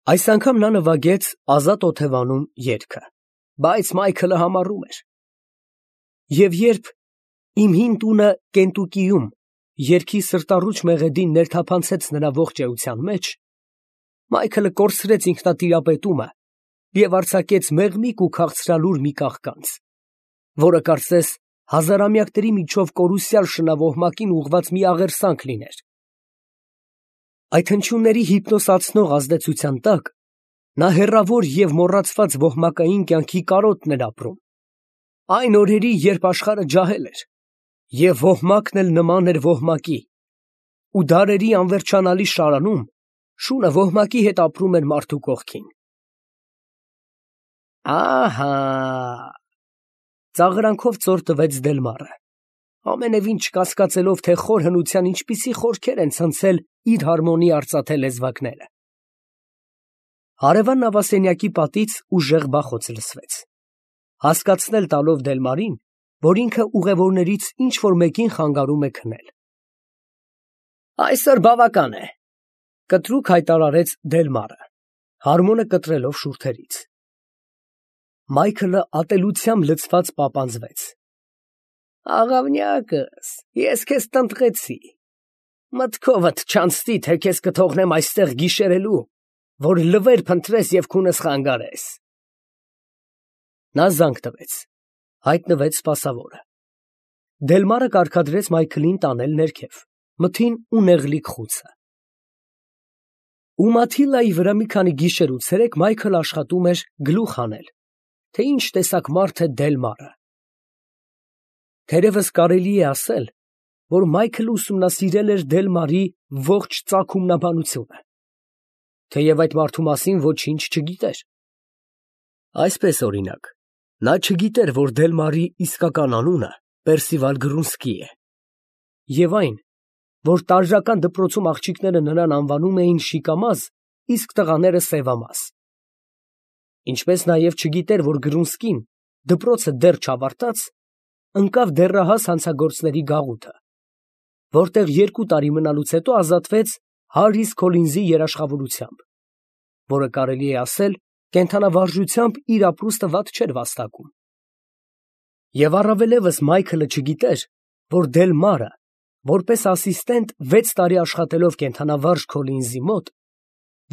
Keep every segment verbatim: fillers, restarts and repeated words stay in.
Այս անգամ նա նվագեց Ազատ Օթևանում երգը, բայց Մայքլը համառում էր։ Եվ երբ «Իմ հին տունը Կենտուկիում» երգի սրտառուչ մեղեդին ներթափանցեց նրա ողջ էության մեջ, Մայքլը կորցրեց ինքնատիրապետումը և արձակեց մեղմիկ ու քաղցրալուր մի կաղկանց, որը կարծես հազարամյակների միջով կորուսյալ շնավ ուղղված մի աղերսանք լիներ։ Այդ հնչյունների հիպնոսացնող ազդեցության տակ նա հեռավոր և մոռացված ոհմակային կյանքի կարոտն էր ապրում, այն օրերի, երբ աշխարհը ջահել էր, և ոհմակն էլ նման էր ոհմակի, ու դարերի անվերջանալի շարանում շունը ոհմակի հետ ապրում էր մարդու կողքին։ Ահա… ծաղրանքով ծոր տվեց Դելմարը, ամենևին չկասկածելով, թե խոր հնության ինչպիսի խորքեր են ցնցել իր հարմոնի արծաթե լեզվակները։ Հարևան նավասենյակի պատից ուժեղ բախոց լսվեց, հասկացնել տալով Դելմարին, որ ինքը ուղևորներից ինչ֊որ մեկին խանգարում է քնել։ Այսօր բավական է, կտրուկ հայտարարեց Դելմարը, հարմոնը կտրելով շուրթերից։ Մայքլը ատելությամբ լցված պապանձվեց։ Աղավնյակս, ես քեզ տնտղեցի, մտքովդ չանցնի, թե քեզ կթողնեմ այստեղ գիշերելու, որ լվեր փնտրես և քունս խանգարես։ Նա զանգ տվեց, հայտնվեց սպասավորը։ Դելմարը կարգադրեց Մայքլին տանել ներքև, մթին ու նեղլիկ խուցը։ Ու Մաթիլդայի վրա մի քանի գիշեր ու ցերեկ Մայքլը աշխատում էր գլուխ հանել, թե ինչ տեսակ մարդ է Դելմարը։ Թերևս կարելի է ասել, որ Մայքլը ուսումնասիրել էր Դելմարի ողջ ծագումնաբանությունը, թեև այդ մարդու մասին ոչինչ չգիտեր։ Այսպես, օրինակ, նա չգիտեր, որ Դելմարի իսկական անունը Պերսիվալ Գրունսկի է, և այն, որ տարրական դպրոցում աղջիկները նրան անվանում էին Շիկամազ, իսկ տղաները Սևամազ։ Ինչպես նաև չգիտեր, որ Գրունսկին, դպրոցը դեռ չավարտած, ընկավ դեռահաս հանցագործների գաղութը, որտեղ երկու տարի մնալուց հետո ազատվեց Հարրիս Քոլինզի երաշխավորությամբ, որը կարելի է ասել կենդանավարժությամբ իր ապրուստը վատ չէր վաստակում։ Եվ առավելևս Մայքլը չգիտեր, որ Դելմարը, որպես ասիստենտ վեց տարի աշխատելով կենդանավարժ Քոլինզի մոտ,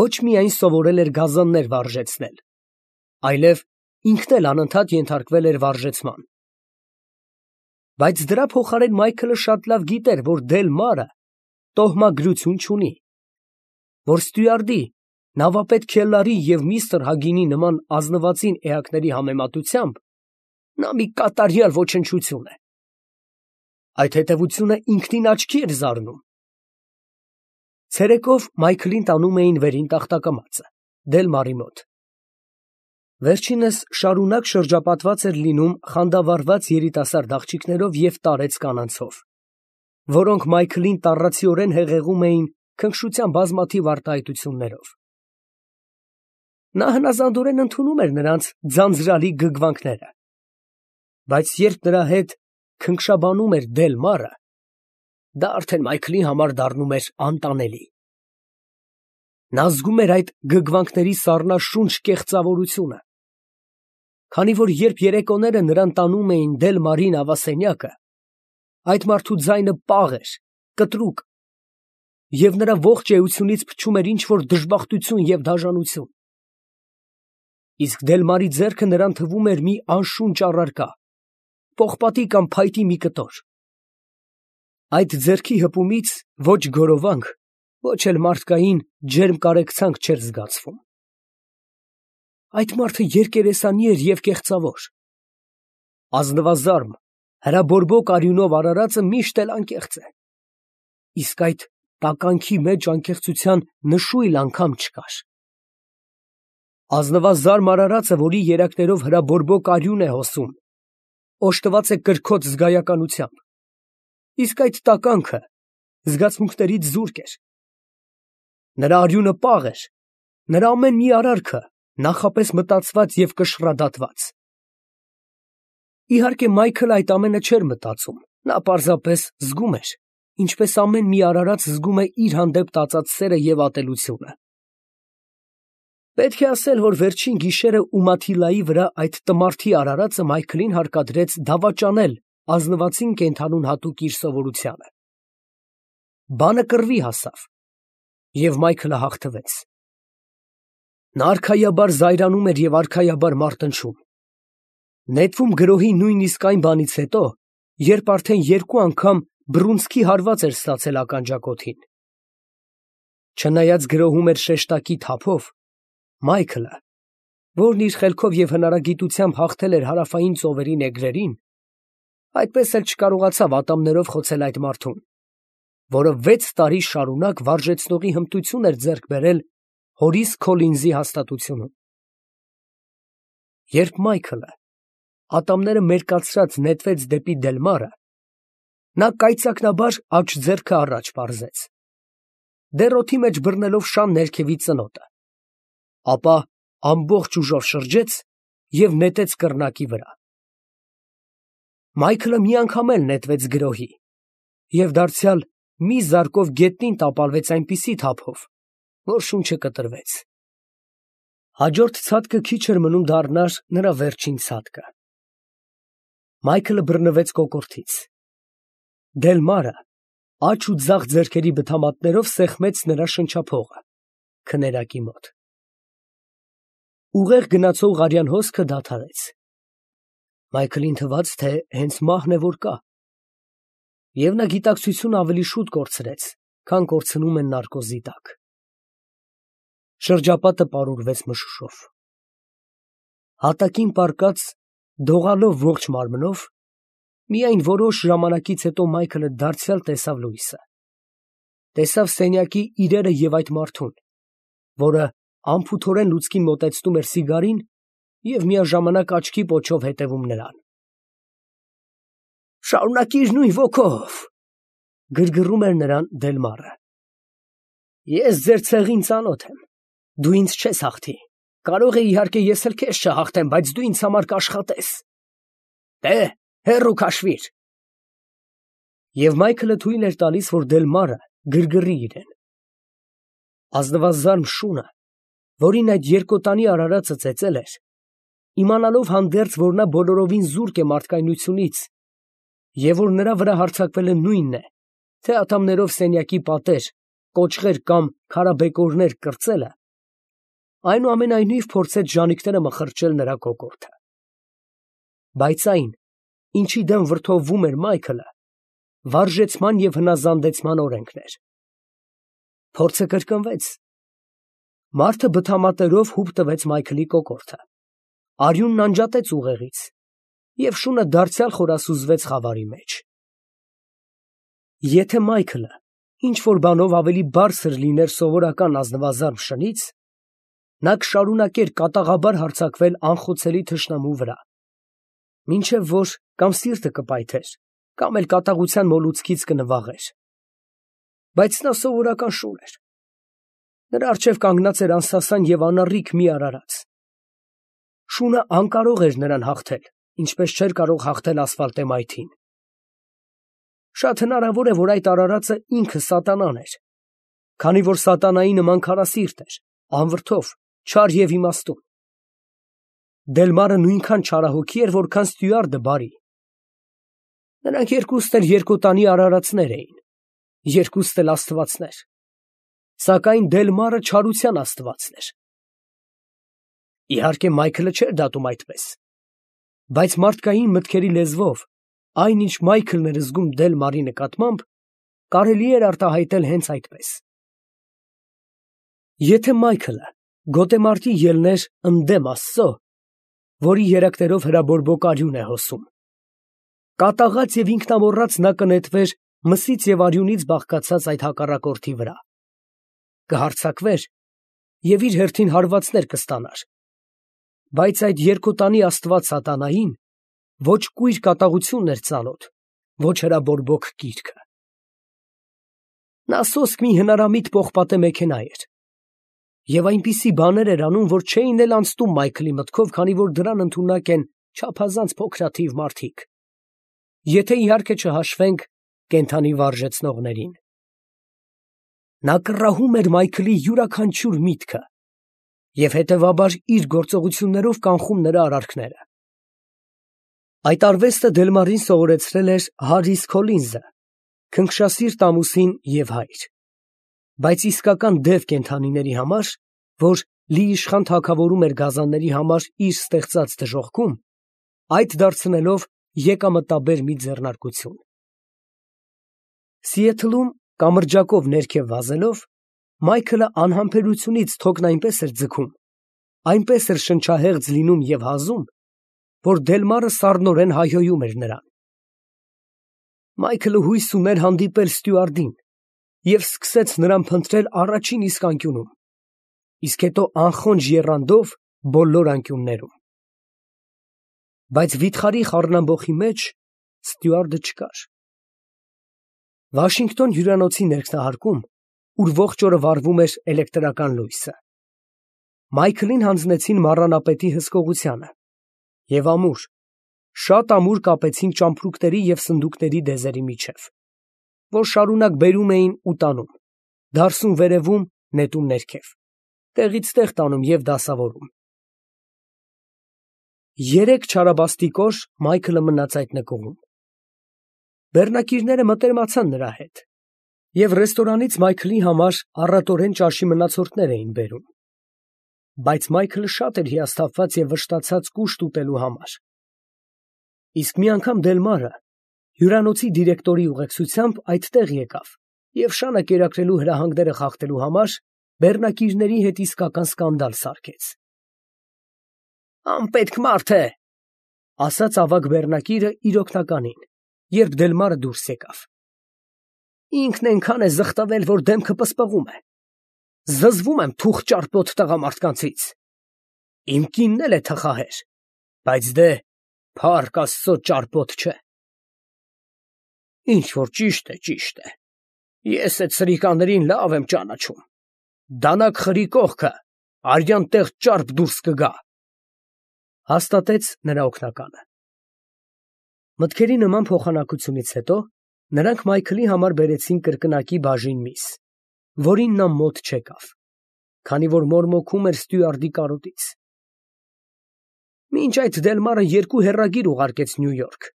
ոչ միայն սովորել էր գազաններ վարժեցնել, այլև ինքն էլ անընդհատ ենթարկվել էր վարժեցման։ Բայց դրա փոխարեն Մայքլը շատ լավ գիտեր, որ Դելմարը տոհմագրություն չունի, որ ստյուարդի, նավապետ Քելլարի և միստր Հագինի նման ազնվածին էակների համեմատությամբ նա մի կատարյալ ոչնչություն է։ Այդ հետևությունը ինքնին աչքի էր զարնում։ Ցերեկով Մայքլին տանում էին վերին տախտակամածը, Դելմարի մոտ։ Վերջինս շարունակ շրջապատված էր լինում խանդավառված երիտասարդ աղջիկներով և տարեց կանանցով, որոնք Մայքլին տառացիորեն հեղեղում էին քնքշության բազմաթիվ արտահայտություններով։ Նա հնազանդորեն ընդունում էր նրանց ձանձրալի գգվանքները, բայց երբ նրա հետ քնքշաբանում էր Դելմարը, դա արդեն Մայքլի համար դառնում էր անտանելի։ Նա զգում էր այդ գգվանքների սառնաշունչ կեղծավորությունը, քանի որ երբ երեկոները նրան տանում էին Դելմարի նավասենյակը, այդ մարդու ձայնը պաղ էր, կտրուկ, և նրա ողջ էությունից փչում էր ինչ֊որ դժբախտություն և դաժանություն։ Իսկ Դելմարի ձեռքը նրան թվում էր մի անշունչ առարկա, պողպատի կամ փայտի մի կտոր։ Այդ ձեռքի հպումից ոչ գորովանք, ոչ էլ մարդկային ջերմ կարեկցանք չէր զգացվում։ Այդ մարդը երկերեսանի էր և կեղծավոր։ Ազնվազարմ, հրաբորբոք արյունով արարածը միշտ էլ անկեղծ է, իսկ այդ տականքի մեջ անկեղծության նշույլ անգամ չկար։ Ազնվազարմ արարածը, որի երակներով հրաբորբոք արյուն է հոսում, օժտված է կրքոտ զգայականությամբ, իսկ այդ տականքը զգացմունքներից զուրկ էր։ Նրա արյունը պաղ էր, նրա ամեն մի արարքը նախապես մտածված և կշռադատված։ Իհարկե, Մայքլը այդ ամենը չէր մտածում, նա պարզապես զգում էր, ինչպես ամեն մի արարած զգում է իր հանդեպ տածած սերը և ատելությունը։ Պետք է ասել, որ վերջին գիշերը Ումաթիլայի վրա այդ տմարդի արարածը Մայքլին հարկադրեց դավաճանել ազնվացին կենդանուն հատուկ իր սովորությանը։ Բանը կռվի հասավ, և Մայքլը հաղթվեց։ Նա արքայաբար զայրանում էր և արքայաբար մարտնչում, նետվում գրոհի նույնիսկ այն բանից հետո, երբ արդեն երկու անգամ բռունցքի հարված էր ստացել ականջակոթին։ Չնայած գրոհում էր շեշտակի թափով, Մայքլը, որն իր խելքով և հնարագիտությամբ հաղթել էր հարավային ծովերի նեգրերին, այդպես էլ չկարողացավ ատամներով խոցել այդ մարդուն, որը վեց տարի շարունակ վարժեցնողի հմտություն էր ձեռք բերել հորիս Քոլինզի հաստատությունում։ Երբ Մայքլը ատամները մերկացրած նետվեց դեպի Դելմարը, նա կայծակնաբար աջ ձեռքը առաջ պարզեց, դեռ օդի մեջ բռնելով շան ներքևի ծնոտը, ապա ամբողջ ուժով շրջեց և նետեց կռնակի վրա։ Մայքլը մի անգամ էլ նետվեց գրոհի և դարձյալ մի զարկով գետնին տապալվեց այնպիսի թափով, որ շունչը կտրվեց։ Հաջորդ ցատկը քիչ էր մնում դառնար նրա վերջին ցատկը։ Մայքլը բռնվեց կոկորդից։ Դելմարը աջ ու ձախ ձեռքերի բթամատներով սեղմեց նրա շնչափողը քներակի մոտ։ Ուղեղ գնացող արյան հոսքը դադարեց։ Մայքլին թվաց, թե հենց մահն է որ կա, և նա գիտակցությունը ավելի շուտ կորցրեց, քան կորցնում են նարկոզի տակ։ Շրջապատը պարուրվեց մշուշով։ Հատակին պառկած, դողալով ողջ մարմնով, միայն որոշ ժամանակից հետո Մայքլը դարձյալ տեսավ լույսը, տեսավ սենյակի իրերը և այդ մարդուն, որը անփութորեն լուցկին մոտեցնում էր սիգարին և միաժամանակ աչքի պոչով հետևում նրան։ «Շարունակիր նույն ոգով», ֊ գրգռում էր նրան Դելմարը։ «Ես ձեր ցեղին ծանոթ եմ, դու ինձ չես հաղթի, կարող է իհարկե ես էլ քեզ չհաղթեմ, բայց դու ինձ համար կաշխատես։ Դե՛հ, հեռու քաշվիր»։ Եվ Մայքլը թույլ էր տալիս, որ Դելմարը գրգռի իրեն։ Ազնվազարմ շունը, որին այդ երկոտանի արարածը ծեծել էր, իմանալով հանդերձ, որ նա բոլորովին զուրկ է մարդկայնությունից և որ նրա վրա հարձակվել է նույնն է, թե ատամներով սենյակի պատեր, կոճղեր կամ քարաբեկորներ կրծելը, այնուամենայնիվ փորձեց ժանիքները մխրճել նրա կոկորդը։ Բայց այն, ինչի դեմ վրդովվում էր Մայքլը, վարժեցման և հնազանդեցման օրենքն էր։ Փորձը կրկնվեց։ Մարդը բթամատերով հուպ տվեց Մայքլի կոկորդը, արյունն անջատեց ուղեղից, և շունը դարձյալ խորասուզվեց խավարի մեջ։ Եթե Մայքլը ինչ֊որ բանով ավելի բարձր լիներ սովորական ազնվազարմ շնից, նա կշարունակեր կատաղաբար հարձակվել անխոցելի թշնամու վրա, մինչև որ կամ սիրտը կպայթեր, կամ էլ կատաղության մոլուցքից կնվաղեր։ Բայց նա սովորական շուն էր։ Նրա առջև կանգնած էր անսասան և անառիկ մի արարած։ Շունը անկարող էր նրան հաղթել, ինչպես չէր կարող հաղթել ասֆալտեմայթին։ Շատ հնարավոր է, որ այդ արարածը ինքը սատանան էր, քանի որ սատանայի նման քարասիրտ էր, անվրդով, չար և իմաստուն։ Դելմարը նույնքան չարահոգի էր, որքան Ստյուարտը բարի։ Նրանք երկուսն էլ երկոտանի արարածներ էին, երկուսն էլ աստվածներ, սակայն Դելմարը չարության աստվածն էր։ Իհարկե Մայքլը չէր դատում այդպես, բայց մարդկային մտքերի լեզվով այն, ինչ Մայքլն էր զգում Դելմարի նկատմամբ, կարելի էր արտահայտել հենց այդպես։ Եթե Մայքլը գոտեմարտի ելներ ընդդեմ Աստծո, որի երակներով հրաբորբոք արյուն է հոսում, կատաղած և ինքնամոռաց նա կնետվեր մսից և արյունից բաղկացած այդ հակառակորդի վրա, կհարձակվեր և իր հերթին հարվածներ կստանար, բայց այդ երկոտանի աստված սատանային ոչ կույր կատաղությունն էր ծանոթ, ոչ հրաբորբոք կիրքը։ Նա սոսկ մի հնարամիտ պողպատե մեքենա էր, և այնպիսի բաներ էր անում, որ չէին էլ անցնում Մայքլի մտքով, քանի որ դրան ընդունակ են չափազանց փոքրաթիվ մարդիկ, եթե իհարկե չհաշվենք կենդանի վարժեցնողներին։ Նա կռահում էր Մայքլի յուրաքանչյուր միտքը, և հետևաբար իր գործողություններով կանխում նրա արարքները։ Այդ արվեստը Դելմարին սովորեցրել էր Հարրիս Քոլինզը, քնքշասիրտ ամուսին և հայր, բայց իսկական դև կենդանիների համար, որ լիիշխան թագավորում էր գազանների համար իր ստեղծած դժոխքում, այդ դարձնելով եկամտաբեր մի ձեռնարկություն։ Սիեթլում կամրջակով ներքև վազելով, Մայքլը անհամբերությունից թոկն այնպես էր ձգում, այնպես էր շնչահեղձ լինում և հազում, որ Դելմարը սառնորեն հայհոյում էր նրան։ Մայքլը հույս ուներ հանդիպել ստյուարդին և սկսեց նրան փնտրել առաջին իսկ անկյունում, իսկ հետո անխոնջ եռանդով բոլոր անկյուններում։ Բայց վիթխարի խառնամբոխի մեջ ստյուարդը չկար։ Վաշինգտոն հյուրանոցի ներքնահարկում, ուր ողջ օրը վառվում էր էլեկտրական լույսը, Մայքլին հանձնեցին մառանապետի հսկողությանը, և ամուր, շատ ամուր կապեցին ճամպրուկների և սնդուկների դեզերի միջև, որ շարունակ բերում էին ու տանում, դարսում վերևում, նետում ներքև, տեղից տեղ տանում և դասավորում։ Երեք չարաբաստիկ օր Մայքլը մնաց այդ նկուղում։ Բեռնակիրները մտերմացան նրա հետ, և ռեստորանից Մայքլի համար առատորեն ճաշի մնացորդներ էին բերում, բայց Մայքլը շատ էր հիասթափված և վշտացած կուշտ ուտելու համար։ Իսկ մի անգամ Դելմարը հյուրանոցի դիրեկտորի ուղեկցությամբ այդտեղ եկավ և շանը կերակրելու հրահանգները խախտելու համար բեռնակիրների հետ իսկական սկանդալ սարքեց։ ֊ Անպետք մարդ է, ֊ ասաց ավագ բեռնակիրը իր օգնականին, երբ Դելմարը դուրս եկավ։ ֊ Ինքն էնքան է զղտվել, որ դեմքը պսպղում է։ Զզվում եմ թուխ ճարպոտ տղամարդկանցից։ Իմ կինն էլ է թխահեր, բայց դե փառք Աստծո ճարպոտ չէ։ Ինչ որ ճիշտ է, ճիշտ է, ես էդ սրիկաներին լավ եմ ճանաչում, դանակ խրի կողքը արյան տեղ ճարպ դուրս կգա, ֊ հաստատեց նրա օգնականը։ Մտքերի նման փոխանակությունից հետո նրանք Մայքլի համար բերեցին կրկնակի բաժին միս, որին նա մոտ չեկավ, քանի որ մորմոքում էր ստյուարդի կարոտից։ Մինչ այդ Դելմարը երկու հեռագիր ուղարկեց Նյու Յորք,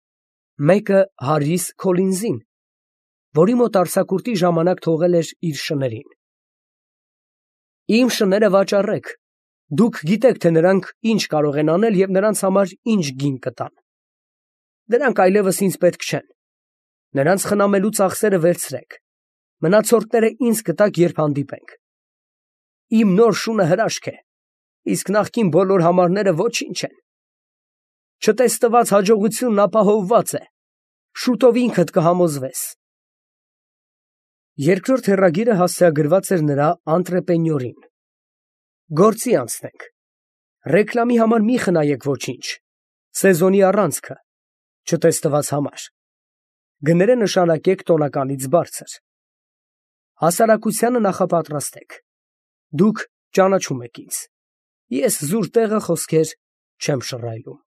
մեկը Հարրիս Քոլինզին, որի մոտ արձակուրդի ժամանակ թողել էր իր շներին. Իմ շները վաճառեք, դուք գիտեք, թե նրանք ինչ կարող են անել և նրանց համար ինչ գին կտան։ Դրանք այլևս ինձ պետք չեն, նրանց խնամելու ծախսերը վերցրեք, մնացորդները ինձ կտաք, երբ հանդիպենք։ Իմ նոր շունը հրաշք է, իսկ նախկին բոլոր համարները ոչինչ են։ Չտեսնված հաջողությունն ապահովված է, շուտով ինքդ կհամոզվես։ Երկրորդ հեռագիրը հասցեագրված էր նրա անտրեպենյորին. Գործի անցնենք, ռեկլամի համար մի խնայեք ոչինչ, սեզոնի առանցքը, չտեսնված համար, գները նշանակեք տոնականից բարձր, հասարակությանը նախապատրաստեք, դուք ճանաչում եք ինձ, ես զուր տեղը խոսքեր չեմ շռայլում։